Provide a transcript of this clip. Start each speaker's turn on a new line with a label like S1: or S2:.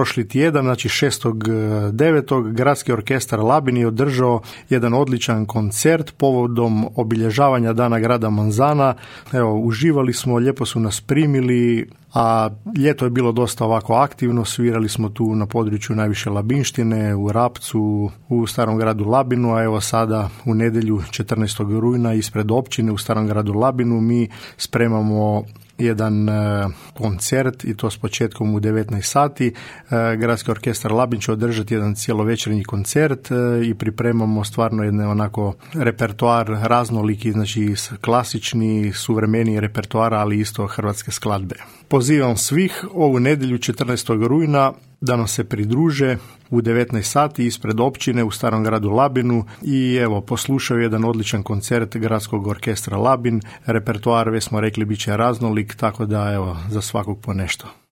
S1: prošli tjedan, znači 6.9. Gradski orkestar Labin je održao jedan odličan koncert povodom obilježavanja Dana grada Manzana. Evo, uživali smo, lijepo su nas primili, a ljeto je bilo dosta ovako aktivno, svirali smo tu na području najviše Labinštine, u Rapcu, u Starom gradu Labinu, a evo sada u nedjelju 14. rujna ispred općine u Starom gradu Labinu mi spremamo jedan koncert i to s početkom u 19 sati. Gradski orkestar Labin će održati jedan cijelovečernji koncert i pripremamo stvarno jedan onako repertoar raznoliki, znači klasični, suvremeni repertoar, ali isto hrvatske skladbe. Pozivam svih ovu nedjelju 14. rujna da nam se pridruže u 19 sati ispred općine u Starom gradu Labinu i evo poslušaju jedan odličan koncert Gradskog orkestra Labin. Repertoar, već smo rekli, bit će raznolik, tako da evo za svakog po nešto.